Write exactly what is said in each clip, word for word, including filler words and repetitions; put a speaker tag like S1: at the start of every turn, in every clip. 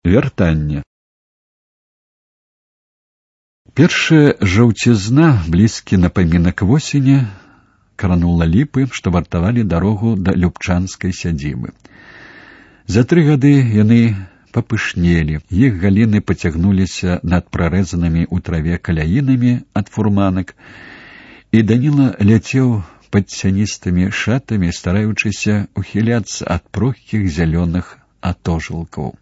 S1: Вяртанне. Першая жаўцізна, блізкі напамінак восені, кранула ліпы, што вартавалі дарогу да любчанскай сядзібы. За тры гады яны папышнелі, іх галіны пацягнуліся над прарэзанымі ў траве каляінамі ад фурманак, і Даніла ляцеў пад цяністымі шатамі, стараючыся ухіляцца ад прохкіх зялёных атожылкаў.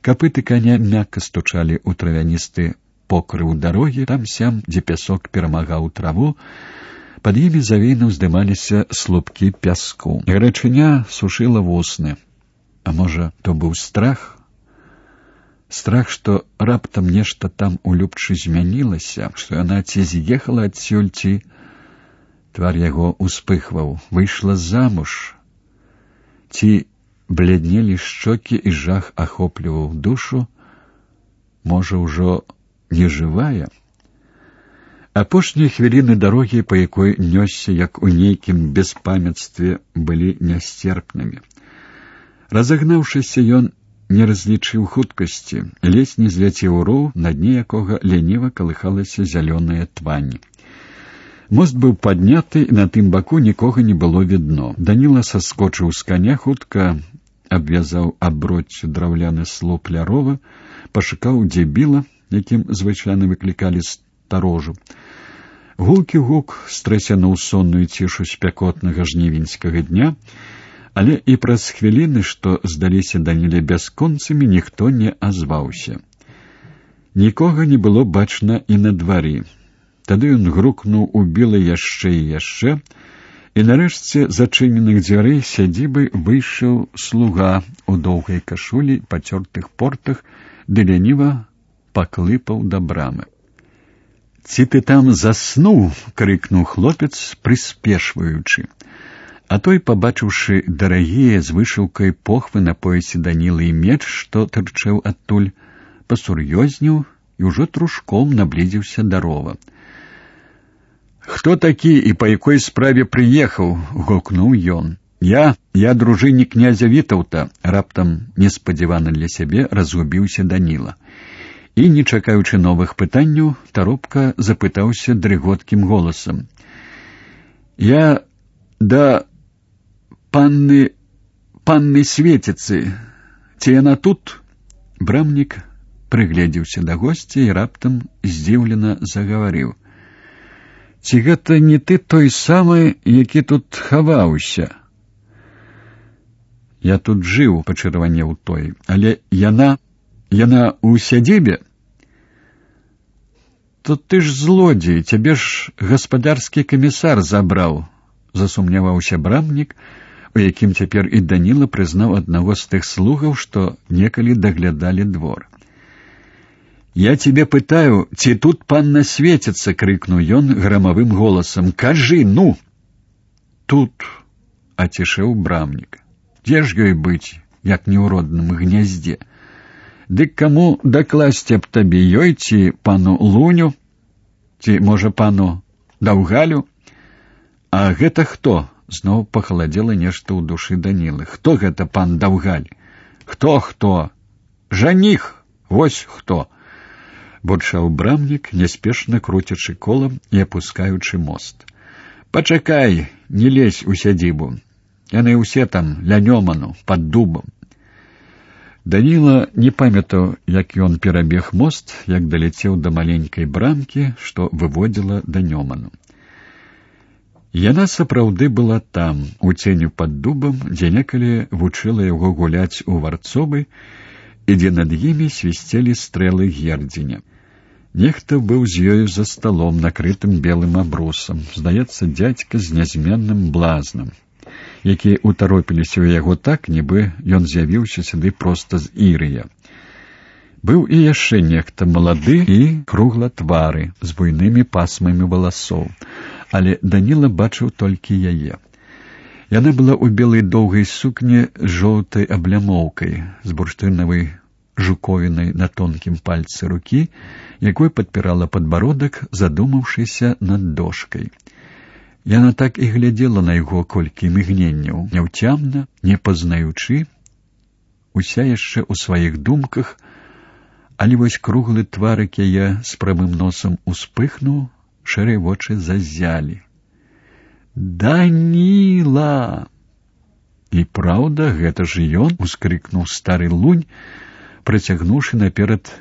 S1: Капыты коня мякка стучалі ў травяністы покрыў дарогі, там-сям, дзе пясок перамагаў траву, пад імі завейна ўздымаліся слупкі пяску. Гарачыня сушыла вусны. А можа, то быў страх? Страх, што раптам нешта там у Любчы змянілася, што яна ці з'ехала адсюль, ці... Твар яго успыхваў. Выйшла замуж. Ці бляднелі шчокі, і жах ахопліваў душу. Можа, ўжо не жывая? Апошнія хвіліны дарогі, па якой нёсся, як у нейкім беспамятстве, былі нясцерпнымі. Разагнаўшыся, ён не разлічыў хуткасці, ледзь не зляцеў у роў, на дне якога ляніва калыхалася зялёная твань. Мост быў падняты, і на тым баку нікога не было відно. Даніла саскочыў з каня, хутка абвязаў аброццю драўляны слуп ля рова, пашукаў, дзе біла, якім звычайна выклікалі старожу. Гулкі гук стрэсянуў сонную цішу спякотнага жнівеньскага дня, але і праз хвіліны, што здаліся Даніле бясконцамі, ніхто не азваўся. Нікога не было бачна і на двары. Тады ён грукнуў у біла яшчэ і яшчэ, і нарэшце з зачыненых дзвярэй сядзібы выйшаў слуга ў доўгай кашулі, пацёртых портах, ды ляніва паклыпаў да брамы. «Ці ты там заснуў?» — крыкнуў хлопец, прыспешваючы. А той, пабачыўшы дарагія з вышыўкай похвы на поясе Данілы і меч, што тырчэў адтуль, пасур'ёзнеў і ўжо трушком наблізіўся да рова. «Хто такі і па якой справе прыехаў?» — гукнуў ён. «Я, я дружыннік князя Вітаўта», — раптам неспадзявана для сябе разгубіўся Даніла. І, не чакаючы новых пытанняў, таропка запытаўся дрыготкім голасам. «Я да панны... панны Светіцы. Ці яна тут?» Брамнік прыгледзеўся да госця і раптам здзіўлена загаварыў. «Ці гэта не ты той самы, які тут хаваўся?» «Я тут жыў», — пачырванеў той, «але яна... яна ў сядзібе?» «То ты ж злодзей, цябе ж гаспадарскі камісар забраў», — засумняваўся брамнік, у якім цяпер і Даніла прызнаў аднаго з тых слугаў, што некалі даглядалі двор. «Я цябе пытаю, ці тут панна Светіцца?» — крыкнуў ён грамавым голасам. «Кажы, ну!» «Тут», — ацішэў брамнік. «Дзе ж ёй быць, як не ў родным гняздзе? Дык каму дакласці аб табе, ёй ці пану Луню? Ці, можа, пану Даўгалю? А гэта хто?» Зноў пахаладзела нешта ў душы Данілы. «Хто гэта пан Даўгаль? Хто, хто? Жаніх! Вось хто!» Бурчаў брамнік, няспешна круцячы колам і апускаючы мост. «Пачакай, не лезь у сядзібу. Яны ўсе там, ля Нёману, пад дубам». Даніла не памятаў, як ён перабег мост, як даляцеў да маленькай брамкі, што выводзіла да Нёману. Яна сапраўды была там, у ценю пад дубам, дзе некалі вучыла яго гуляць у варцовы, і дзе над імі свісцелі стрэлы гердзеня. Нехта быў з ёю за сталом, накрытым белым абрусам, здаецца, дзядзька з нязменным блазнам, якія ўтаропіліся ў яго так, нібы ён з'явіўся сюды проста з Ірыя. Быў і яшчэ нехта малады і круглатвары, з буйнымі пасмамі валасоў, але Даніла бачыў толькі яе. Яна была ў белай доўгай сукне з жоўтай аблямоўкай, з бурштынавай жуковінай на тонкім пальцы рукі, якой падпірала падбародак, задумаўшыся над дошкай. Яна так і глядзела на яго колькі мігненняў, няўцямна, не пазнаючы, уся яшчэ ў сваіх думках, але вось круглы тварык яе з прамым носам успыхнуў, шэрыя вочы заззялі. «Даніла!» «І праўда, гэта ж ён!» — ускрыкнуў стары лунь, працягнуўшы наперад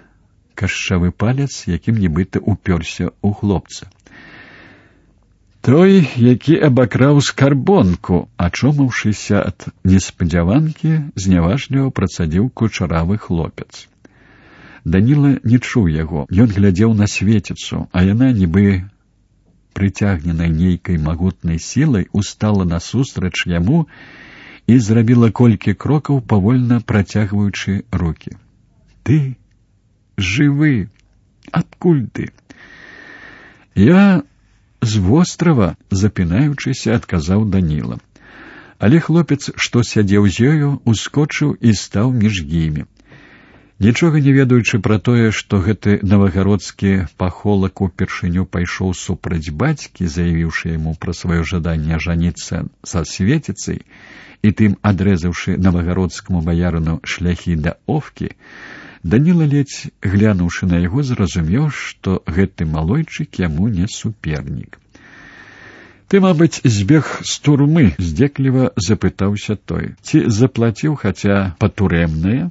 S1: кашчавы палец, якім нібыта упёрся ў хлопца. Той, які абакраў скарбонку, ачомаўшыся ад неспадзяванкі, зняважліва працадзіў кучаравы хлопец. Даніла не чуў яго. Ён глядзеў на Светіцу, а яна, нібы прыцягненай нейкай магутнай сілай, устала насустрач яму і зрабіла колькі крокаў, павольна працягваючы рукі. «Ты жывы! Адкуль ты?» «Я з вострава», — запінаючыся, адказаў Даніла. Але хлопец, што сядзеў з ёю, ускочыў і стаў між імі. Нічога не ведаючы пра тое, што гэты навагародскі пахолак упершыню пайшоў супраць бацькі, заявіўшы яму пра сваё жаданне ажаніцца са Светіцай і тым адрэзаўшы навагародскаму баярыну шляхі да Овкі, Даніла, ледзь глянуўшы на яго, зразумеў, што гэты малойчык яму не супернік. «Ты, мабыць, збег з турмы?» — здзекліва запытаўся той. «Ці заплаціў хаця патурэмнае?»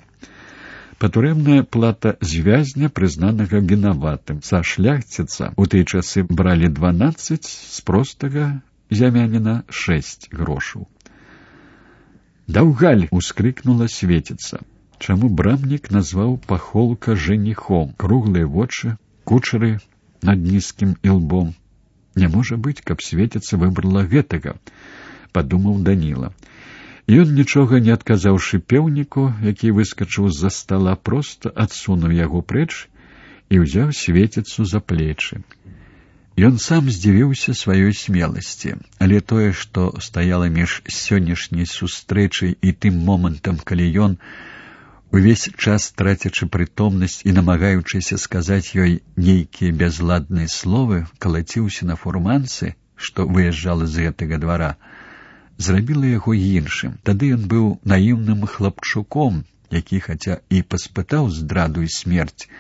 S1: Патурэмная плата звязня, прызнанага вінаватым. Са шляхціца у тыя часы бралі дванаццаць, з простага зямяніна шэсць грошаў. «Даўгаль!» — ускрыкнула Светіца. Чаму брамнік назваў пахолка жаніхом? Круглыя вочы, кучары над нізкім ілбом. Не можа быць, каб Светіца выбрала гэтага, падумаў Даніла. Ён, нічога не адказаўшы пеўніку, які выскачыў з-за стала, проста адсунуў яго прэч і ўзяў Светіцу за плечы. Ён сам здзівіўся сваёй смеласці, але тое, што стаяла між сённяшняй сустрэчай і тым момантам, калі ён, увесь час трацячы прытомнасць і намагаючыся сказаць ёй нейкія бязладныя словы, калаціўся на фурманцы, што выязджала з гэтага двара, зрабіла яго іншым. Тады ён быў наіўным хлапчуком, які, хаця і паспытаў здраду і смерць,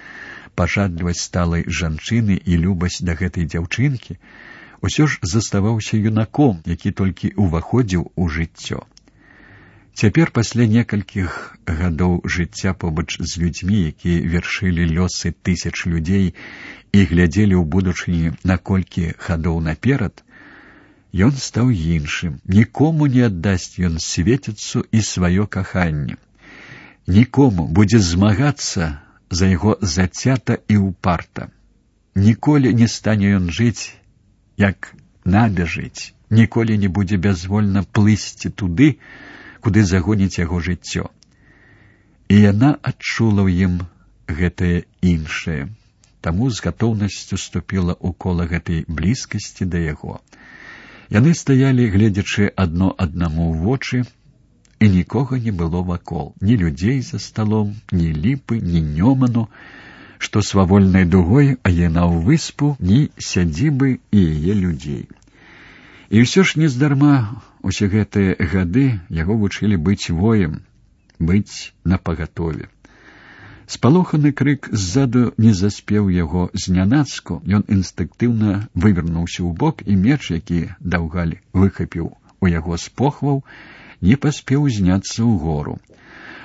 S1: пажадлівасць сталай жанчыны і любасць да гэтай дзяўчынкі, усё ж заставаўся юнаком, які толькі ўваходзіў у жыццё. Цяпер, пасля некалькіх гадоў жыцця побач з людзьмі, якія вершылі лёсы тысяч людзей і глядзелі ў будучыні на колькі гадоў наперад, ён стаў іншым. Нікому не аддасць ён Светіцу і сваё каханне. Нікому будзе змагацца за яго зацята і ўпарта. Ніколі не стане ён жыць, як надо жыць. Ніколі не будзе бязвольна плысці туды, куды загоніць яго жыццё. І яна адчула ў ім гэтае іншае, таму з гатоўнасцю ступіла ў кола гэтай блізкасці да яго. Яны стаялі, гледзячы адно аднаму ў вочы, і нікога не было вакол, ні людзей за сталом, ні ліпы, ні нёману, што свавольнай дугой аенаў выспу, ні сядзібы і яе людзей. І ўсё ж нездарма усе гэтыя гады яго вучылі быць воем, быць напагатове. Спалоханы крык ззаду не заспеў яго знянацку, ён інстынктыўна вывернуўся ў бок, і меч, які Даўгаль выхапіў у яго з похваў, не паспеў зняцца ўгору.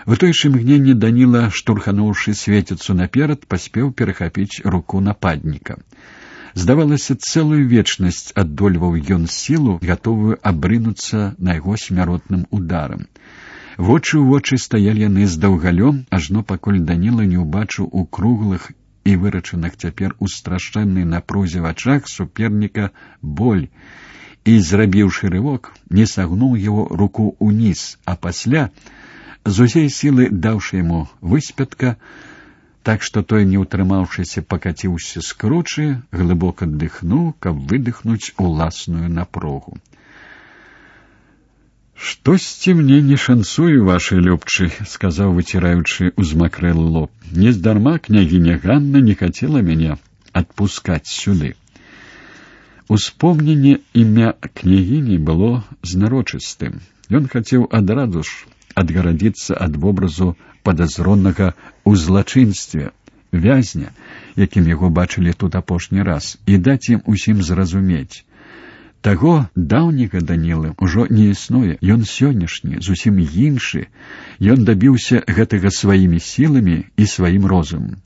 S1: В той же мгненне Даніла, штурхануўшы Светіцу наперад, паспеў перахапіць руку нападніка. Здавалася, цэлую вечнасць аддольваў ён сілу, гатовую абрынуцца на яго смяротным ударам. Вочы ў вочы стаялі яны з Даўгалём, ажно пакуль Даніла не ўбачыў у круглых і вырачаных цяпер у страшэннай напрузе вачах суперніка боль, і, зрабіўшы рывок, не сагнуў яго руку ўніз, а пасля, з усей сілы даўшы яму выспятка, так што той, не ўтрымаўшыся, пакаціўся з кручы, глыбока дыхнуў, каб выдыхнуць уласную напругу. «Штосьці мне не шанцуе, вашы любчы», — сказаў, выціраючы узмакрэлы лоб. «Нездарма княгіня Ганна не хацела мяне адпускаць сюды». Успомненне імя княгіні было знарочыстым. Ён хацеў адразу ж адгарадзіцца ад вобразу падазронага ў злачынстве, вязня, якім яго бачылі тут апошні раз, і даць ім усім зразумець. Таго даўняга Данілы ўжо не існуе, ён сённяшні, зусім іншы, ён дабіўся гэтага сваімі сіламі і сваім розумам.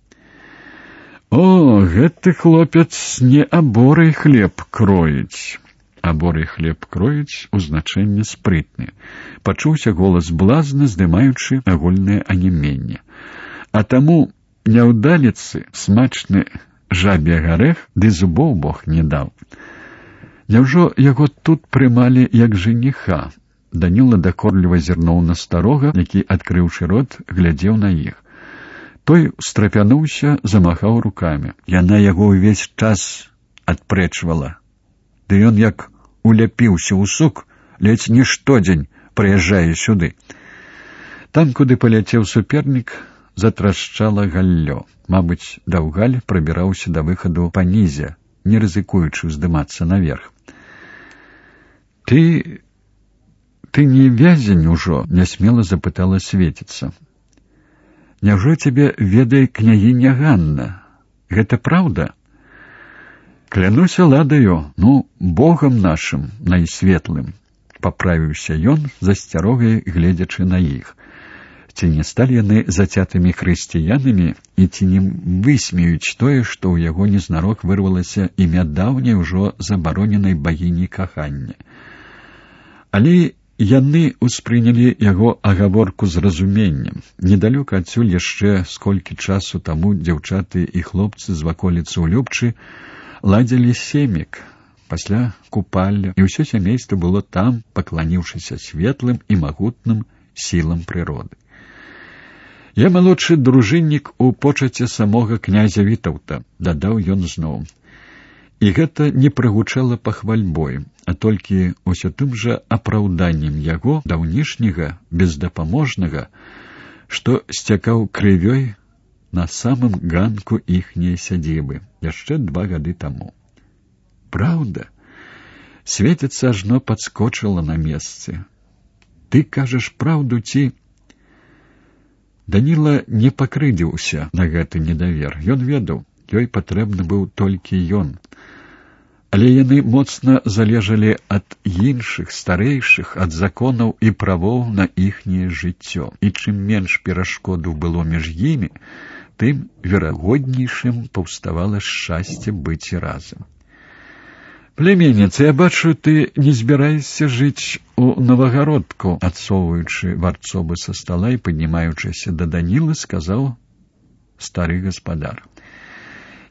S1: О, гэты хлопец не аборай хлеб кроіць. Аборай хлеб кроіць у значэнні спрытны. Пачуўся голас блазна, здымаючы агульнае анеменне. А таму няўдаліцы смачны жабе гарэх, ды зубоў Бог не даў. Няўжо яго тут прымалі як жаніха? Даніла дакорліва зірнуў на старога, які, адкрыўшы рот, глядзеў на іх. Той страпянуўся, замахаў рукамі. Яна яго ўвесь час адпрэчвала. Ды ён як уляпіўся ў сук, ледзь не штодзень прыязджае сюды. Там, куды паляцеў супернік, затрашчала галлё. Мабыць, Даўгаль прабіраўся да выхаду панізе, не рызыкуючы ўздымацца наверх. Ты... ты не вязень ужо? Нясмела запытала Светіца. Няўжо цябе ведае княгіня Ганна? Гэта праўда? Клянуся ладаю, ну, Богам нашым найсветлым, паправіўся ён, засцярогай гледзячы на іх. Ці не сталі яны зацятымі хрысціянамі, і ці не высмеюць тое, што ў яго незнарок вырвалася імя даўняй ужо забароненай багіні кахання. Але яны ўспрынялі яго агаворку з разуменнем. Недалёка адсюль яшчэ сколькі часу таму дзяўчаты і хлопцы з ваколіцы ў Любчы ладзілі семік, пасля купалля, і ўсё сямейства было там, пакланіўшыся светлым і магутным сілам прыроды. Я малодшы дружыннік у почаце самога князя Вітаўта, дадаў ён зноў. І гэта не прагучала пахвальбой, а толькі ўсё тым жа апраўданнем яго даўнішняга, бездапаможнага, што сцякаў крывёй на самым ганку іхняй сядзібы яшчэ два гады таму. Праўда? Светіца ажно падскочыла на месцы. Ты кажаш праўду ці... Даніла не пакрыдзіўся на гэты недавер. Ён ведаў, ёй патрэбны быў толькі ён. Але яны моцна залежалі ад іншых, старэйшых, ад законаў і правоў на іхняе жыццё. І чым менш перашкодаў было між імі, тым верагоднейшым паўставала шчасце быць разам. Племянніца, я бачу, ты не збіраешся жыць у Новагародку, адсоўваючы варцобы са стала і паднімаючыся да Данілы, сказаў стары гаспадар.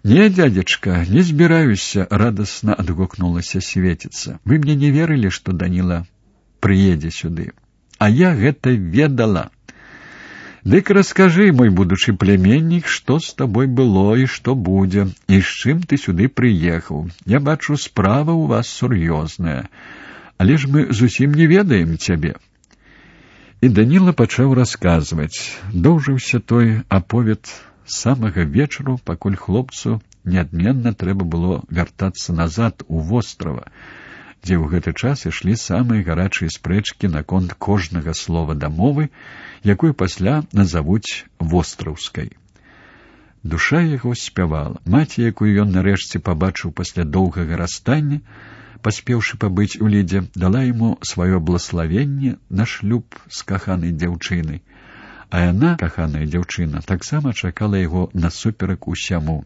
S1: Не, дядзечка, не збіраюся, радасна адгукнулася Светіца. Вы мне не верылі, што Даніла прыедзе сюды. А я гэта ведала. Дык раскажы, мой будучы племяннік, што з табой было і што будзе, і з чым ты сюды прыехаў. Я бачу, справа ў вас сур'ёзная, але ж мы зусім не ведаем цябе. І Даніла пачаў расказваць. Доўжыўся той аповед самага вечару, пакуль хлопцу неадменна трэба было вяртацца назад у вострава, дзе ў гэты час ішлі самыя гарачыя спрэчкі наконт кожнага слова дамовы, якую пасля назавуць востраўскай. Душа яго спявала. Маці, якую ён нарэшце пабачыў пасля доўгага расстання, паспеўшы пабыць у лідзе, дала яму сваё блаславенне на шлюб з каханай дзяўчынай. А яна, каханая дзяўчына, таксама чакала яго насуперак усяму.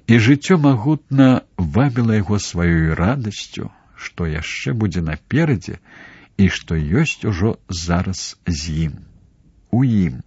S1: І жыццё магутна вабіла яго сваёй радасцю, што яшчэ будзе наперадзе і што ёсць ужо зараз з ім, у ім.